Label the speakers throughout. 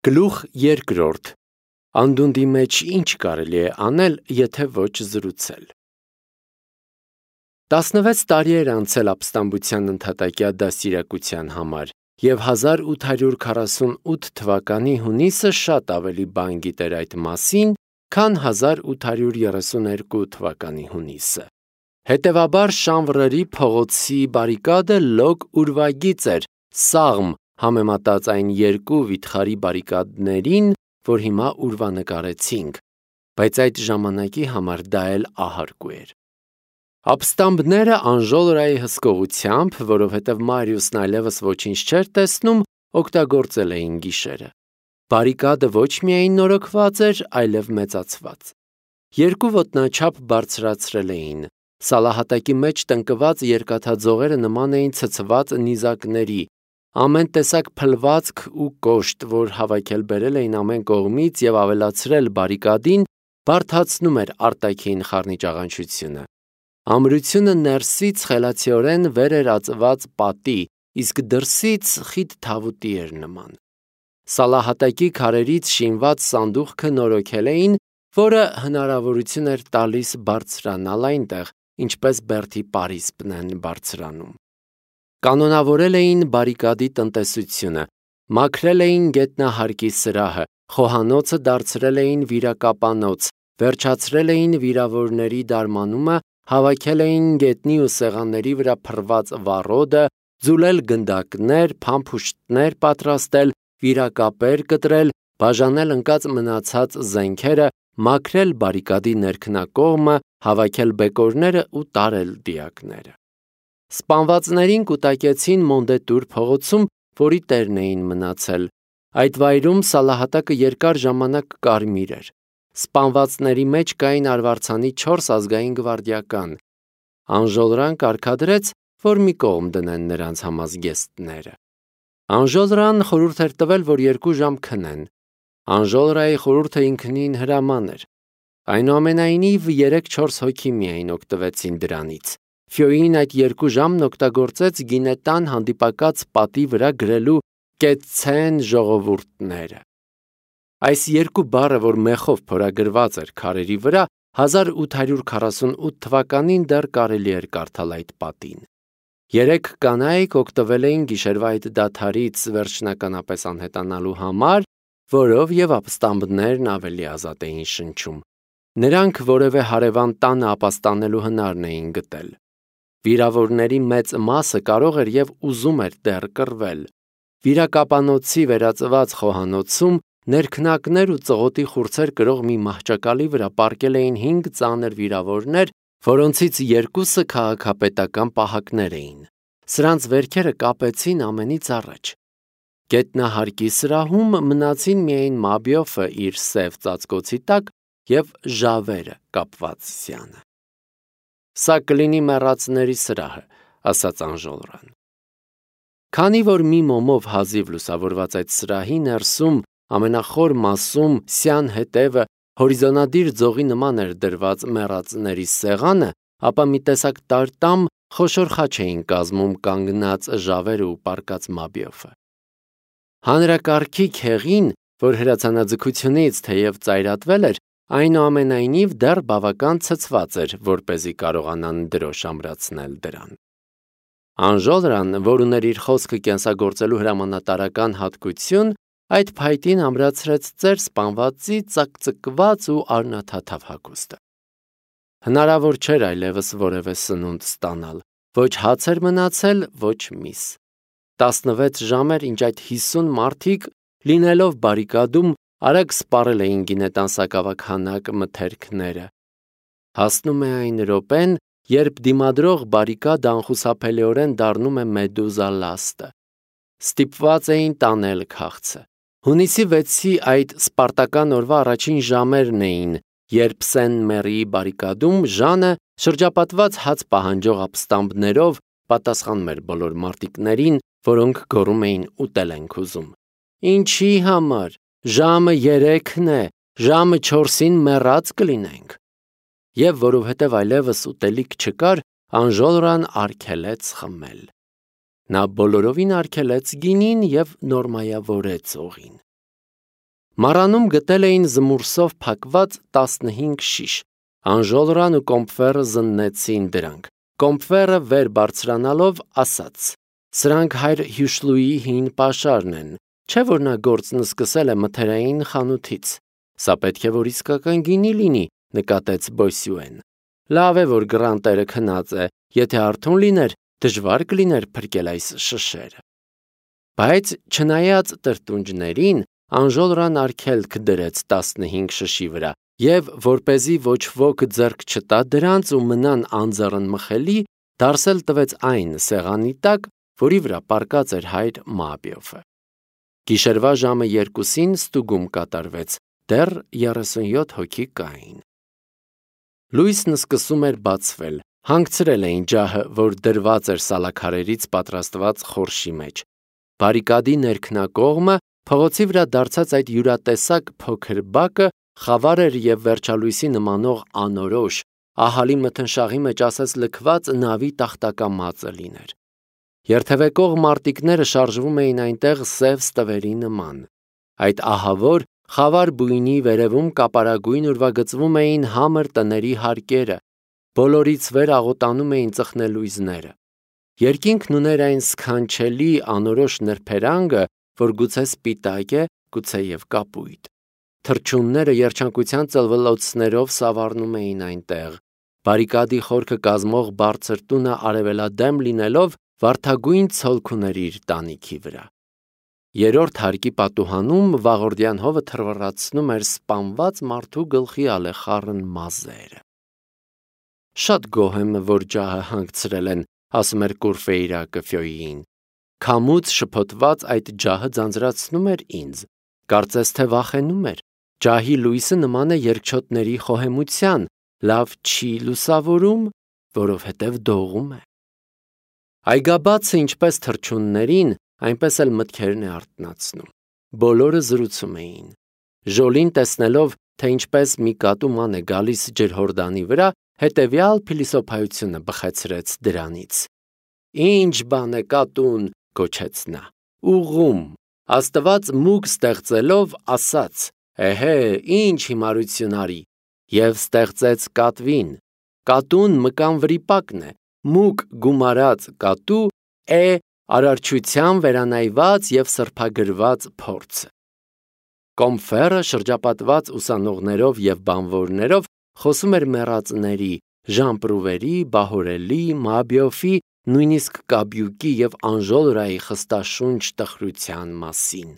Speaker 1: Գլուխ երկրորդ. Անդունդի մեջ ինչ կարելի է անել, եթե ոչ զրուցել։ 16 տարի էր անցել ապստամբության ընդհատակյա դաստիարակության համար, և 1848 թվականի հունիսը շատ ավելի բան գիտեր այդ մասին, քան 1832 թվականի հունիսը։ Հետևաբար Շանվռերի փողոցի բարիկադը լոկ ուրվագիծ էր, սաղմ համեմատած այն երկու վիթխարի բարիկադներին, որ հիմա ուրվանկարեցինք, բայց այդ ժամանակի համար դա էլ ահարկու էր։ Ապստամբները Անժոլրայի հսկողությամբ, որովհետև Մարիուսն այլևս ոչինչ չէր տեսնում, օգտագործել էին գիշերը։ Բարիկադը ոչ միայն նորոգված էր, այլև մեծացված։ Երկու ոտնաչափ բարձրացրել էին։ Սալահատակի մեջ տնկված երկաթաձողերը նման էին ցցված նիզակների, ամեն տեսակ փլվածք ու կոշտ, որ հավաքել բերել էին ամեն կողմից և ավելացրել բարիկադին, բարդացնում էր արտաքին խառնիճաղանչությունը։ Ամրությունը ներսից խելացիորեն վեր էր ածված պատի, իսկ դրսից խիտ թավուտի էր նման։ Սալահատակի քարերից շինված սանդուղքը նորոգել էին, որը հնարավորություն էր տալիս բարձրանալ այնտեղ, ինչպես բերդի պարիսպն են բարձրանում։ Կանոնավորել էին բարիկադի տնտեսությունը, մաքրել էին գետնահարկի սրահը, խոհանոցը դարձրել էին վիրակապանոց, վերջացրել էին վիրավորների դարմանումը, հավաքել էին գետնի ու սեղանների վրա փռված վառոդը, ձուլել գնդակներ, փամփուշտներ պատրաստել, վիրակապեր կտրել, բաժանել ընկած մնացած զենքերը, մաքրել բարիկադի ներքնակողմը, հավաքել բեկորները ու տարել դիակները։ Սպանվածներին կուտակեցին Մոնդետուր փողոցում, որի տերն էին մնացել։ Այդ վայրում Սալահատակը երկար ժամանակ կարմիր էր։ Սպանվածների մեջ կային արվարձանի 4 ազգային գվարդիական։ Անժոլրան կարգադրեց, որ մի կողմ դնեն նրանց համազգեստները։ Անժոլրան խորհուրդ էր տվել, որ 2 ժամ քնեն։ Անժոլրայի խորհուրդը ինքնին հրաման էր։ Այնուամենայնիվ 3-4 հոգի միայն օգտվեցին դրանից։ Ֆյոին այդ 2 ժամն օգտագործեց գինետան հանդիպակաց պատի վրա գրելու «Կեցցեն ժողովուրդները»։ Այս 2 բառը, որ մեխով փորագրված էր քարերի վրա, 1848 թվականին դեռ կարելի էր կարդալ այդ պատին։ 3 կանայք օգտվել էին գիշերվա այդ դադարից վերջնականապես անհետանալու համար, որով և ապստամբներն ավելի ազատ էին շնչում։ Նրանք որևէ հարևան տանը ապաստանելու հնարն էին գտել։ Վիրավորների մեծ մասը կարող էր և ուզում էր դեռ կռվել։ Վիրակապանոցի վերածված խոհանոցում ներքնակներ ու ծղոտի խուրձեր կրող մի մահճակալի վրա պառկել էին 5 ծանր վիրավորներ, որոնցից 2-ը քաղաքապետական պահակներ էին։ Սրանց վերքերը կապեցին ամենից առաջ։ Գետնահարկի սրահում մնացին միայն Մաբիոֆը իր սև ծածկոցի տակ և Ժավերը կապված սյանը։ «Սա կլինի մեռածների սրահը», ասաց Անժոլրան։ Քանի որ մի մոմով հազիվ լուսավորված այդ սրահի ներսում ամենախոր մասում սյան հետևը հորիզոնադիր ձողի նման էր դրված մեռածների սեղանը, ապա մի տեսակ տարտամ խոշոր խաչ էին կազմում կանգնած Ժավերը ու պառկած Մաբիոֆը։ Հանրակարգի քեղին, որ հրացանաձգությունից թեև ծայրատվել էր, այնուամենայնիվ դեռ բավական ցցված էր, որպեսզի կարողանան դրոշ ամրացնել դրան։ Անժոլրան, որ ուներ իր խոսքը կենսագործելու հրամանատարական հատկություն, այդ փայտին ամրացրեց ծեր սպանվածի ծակծկված ու արնաթաթավ հագուստը։ Հնարավոր չէր այլևս որևէ սնունդ ստանալ, ոչ հաց էր մնացել, ոչ միս։ 16 ժամ էր, ինչ այդ 50 մարդիկ, լինելով բարիկադում, արագ սպառել էին գինետան սակավաքանակ մթերքները։ Հասնում է այն րոպեն, երբ դիմադրող բարիկադը անխուսափելիորեն դառնում է մեդուզա լաստը։ Ստիպված էին տանել քաղցը։ Հունիսի 6-ի այդ սպարտական օրվա առաջին ժամերն էին, երբ Սեն-Մերիի բարիկադում Ժանը շրջապատված հաց պահանջող ապստամբներով պատասխանում էր բոլոր մարտիկներին, որոնք գոռում էին ուտել ենք ուզում։ Ինչի համար, ժամը 3-ն է, ժամը 4-ին մեռած կլինենք։ Եվ որովհետև այլևս ուտելիք չկար, Անժոլրան արգելեց խմել։ Նա բոլորովին արգելեց գինին և նորմայավորեց օղին։ Մառանում գտել էին զմուրսով փակված 15 շիշ։ Անժոլրան ու Կոմփվերը զննեցին դրանք։ Կոմփվերը վեր բարձրանալով ասաց. «Սրանք հայր Հյուշլուի հին պաշարն են, չէ՞ որ նա գործն սկսել է մթերային խանութից»։ Սա պետք է որ իսկական գինի լինի, նկատեց Բոսյուեն։ Լավ է որ գրանտերը քնած է, եթե արթուն լիներ, դժվար կլիներ փրկել այս շշերը։ Բայց չնայած տրտունջներին, Անժոլրան արգելք դրեց 15 շշի վրա, եւ որպեսզի ոչ ոք ձեռք չտա դրանց ու մնան անձեռն մխելի, դարսել տվեց այն սեղանի տակ, որի վրա պառկած էր հայր Մաբիոֆը։ Գիշերվա ժամը 2-ին ստուգում կատարվեց, դեռ 37 հոգի կային։ Լույսն սկսում էր բացվել, հանգցրել էին ջահը, որ դրված էր սալաքարերից պատրաստված խորշի մեջ։ Բարիկադի ներքնակողմը փողոցի վրա դարձած այդ յուրատեսակ փոքր բակը խավար էր եւ վերջալույսի նմանող անորոշ, ահալի մթնշաղի մեջ ասես լքված նավի տախտակամածը լիներ։ Երթևեկող մարտիկները շարժվում էին այնտեղ սև ստվերի նման։ Այդ ահավոր խավար բույնի վերևում կապարագույն ուրվագծվում էին համր տների հարկերը, բոլորից վեր աղոտանում էին ծխնելույզները։ Երկինքն ուներ այն սքանչելի անորոշ նրբերանգը, որ գուցե սպիտակ է, գուցե եւ կապույտ։ Թռչունները երջանկության ծլվլոցներով սավառնում էին այնտեղ։ Բարիկադի խորքը կազմող բարձր տունը արևելադեմ լինելով վարդագույն ցոլք ուներ իր տանիքի վրա։ Երրորդ հարկի պատուհանում վաղորդյան հովը թռվռացնում էր սպանված մարդու գլխի ալեխառն մազերը։ Շատ գոհ եմ, որ ջահը հանգցրել են, ասում էր Կուրֆեյրակը Ֆյոյին։ Քամուց շփոթված այդ ջահը ձանձրացնում էր ինձ, կարծես թե վախենում էր։ Ջահի լույսը նման է երկչոտների խոհեմության, լավ չի լուսավորում, որովհետև դողում է։ Այգաբացը ինչպես թռչուններին, այնպես էլ մտքերն է արթնացնում։ Բոլորը զրուցում էին։ Ժոլին տեսնելով, թե ինչպես մի կատու ման է գալիս ջրհորդանի վրա, հետևյալ փիլիսոփայությունը բխեցրեց դրանից։ Ինչ բան է կատուն, գոչեց նա։ Ուղում, Աստված մուկ ստեղծելով ասաց. «Էհե, ինչ հիմարություն արի», եւ ստեղծեց կատվին։ Կատուն մկան վրիպակն է, մուկ գումարած կատու է արարչության վերանայված եւ սրբագրված փորձը։ Կոմփվերը շրջապատված ուսանողներով եւ բանվորներով խոսում էր մեռածների, Ժամպրուվերի, Բահորելի, Մաբիոֆի, նույնիսկ Կաբյուկի եւ Անժոլրայի խստաշունչ տխրության մասին։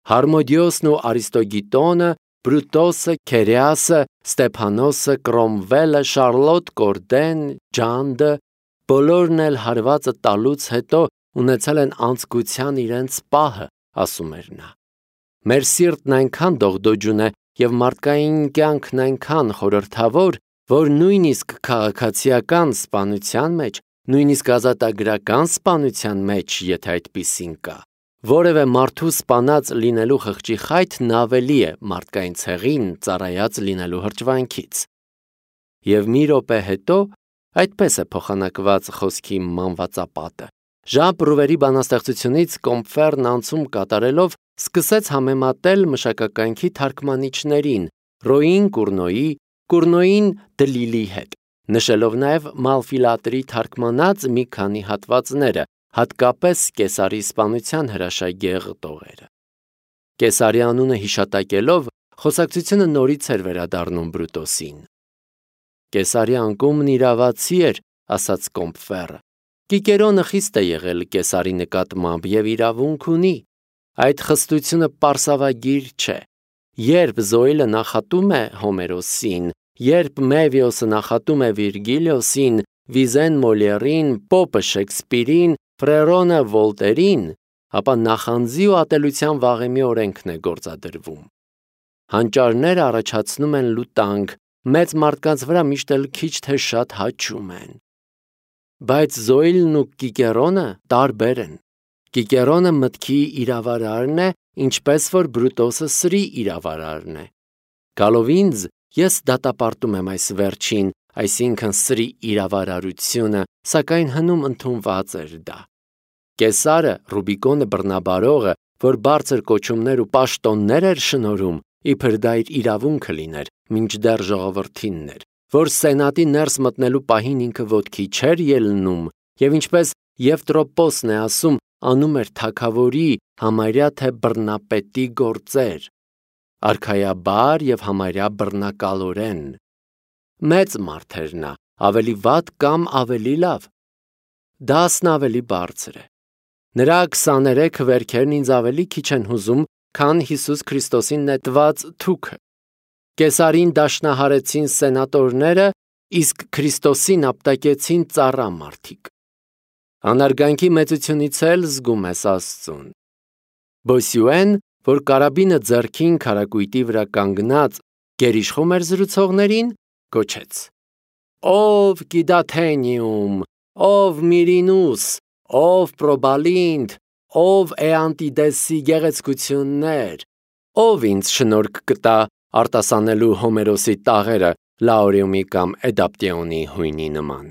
Speaker 1: Հարմոդիոսն ու Արիստոգիտոնը, Բրուտոսը, Քերեասը, Ստեփանոսը, Կրոմվելը, Շարլոտ Կորդեն, Ջանդը, բոլորն էլ հարվածը տալուց հետո ունեցել են անցկության իրենց պահը, ասում էր նա։ Մեր սիրտն այնքան դողդոջուն է եւ մարդկային կյանքն այնքան խորհրդավոր, որ նույնիսկ քաղաքացիական սպանության մեջ, նույնիսկ ազատագրական սպանության մեջ, եթե այդպիսին կա, որևէ մարդու սպանած լինելու խղճի խայթն ավելի է մարդկային ցեղին ծառայած լինելու հրճվանքից։ Եվ մի րոպե հետո այդպես է փոխանակված խոսքի մանվածապատը։ Ժամպրուվերի բանաստեղծությունից Կոմփվերն անցում կատարելով սկսեց համեմատել մշակականքի թարգմանիչներին Ռոին Կուրնոյի, Կուրնոյին Դլիլի հետ, նշելով նաև Մալֆիլատրի թարգմանած մի քանի հատվածները, հատկապես Կեսարի սպանության հրաշագեղ տողերը։ Կեսարի անունը հիշատակելով խոսակցությունը նորից էր վերադառնում Բրուտոսին։ Կեսարի անկումն իրավացի էր, ասաց Կոմփվերը։ Կիկերոնը խիստ է եղել Կեսարի նկատմամբ եւ իրավունք ունի։ Այդ խստությունը պարսավագիր չէ։ Երբ Զոիլը նախատում է Հոմերոսին, երբ Մեվիոսը նախատում է Վիրգիլիոսին, Վիզեն Մոլիերին, Պոպը Շեքսպիրին, Ֆրերոնը Վոլտերին, ապա նախանձի ու ատելության վաղեմի օրենքն է գործադրվում։ Հանճարները առաջացնում են լուտանք, մեծ մարդկանց վրա միշտ էլ քիչ թե շատ հաճում են։ Բայց Զոիլն ու Կիկերոնը տարբեր են։ Կիկերոնը մտքի իրավարարն է, ինչպես որ Բրուտոսը սրի իրավարարն է։ Գալով ինձ, ես դատապարտում եմ այս վերջին, այսինքն սրի իրավարարությունը, սակայն հնում ընդունված էր դա։ Կեսարը, Ռուբիկոնը բռնաբարողը, որ բարձր կոչումներ ու պաշտոններ էր շնորհում, իբր դա իր իրավունքը լիներ, մինչդեռ ժողովրդինն էր, որ սենատի ներս մտնելու պահին ինքը ոտքի չէր ելնում, եւ ինչպես Եվտրոպոսն է ասում, անում էր թագավորի, համարյա թե բռնապետի գործեր, արքայաբար եւ համարյա բռնակալորեն։ Մեծ մարդ էր նա, ավելի վատ կամ ավելի լավ։ Դասն ավելի բարձր է։ Նրա 23 վերքերն ինձ ավելի քիչ են հուզում, քան Հիսուս Քրիստոսին նետված թուքը։ Կեսարին դաշնահարեցին սենատորները, իսկ Քրիստոսին ապտակեցին ծառամարդիկ։ Անարգանքի մեծությունից էլ զգում ես Աստծուն։ Բոսյուեն, որ կարաբինը ձեռքին քարակույտի վրա կանգնած գերիշխում էր զրուցողներին, գոչեց. «Ով Կիդաթենիում, ով Միրինուս, ով Պրոբալինդ, ով Էանտիդեսի գեղեցկություններ, ով ինձ շնորհք կտա արտասանելու Հոմերոսի տաղերը Լաուրեումի կամ Էդապտեոնի հույնի նման»։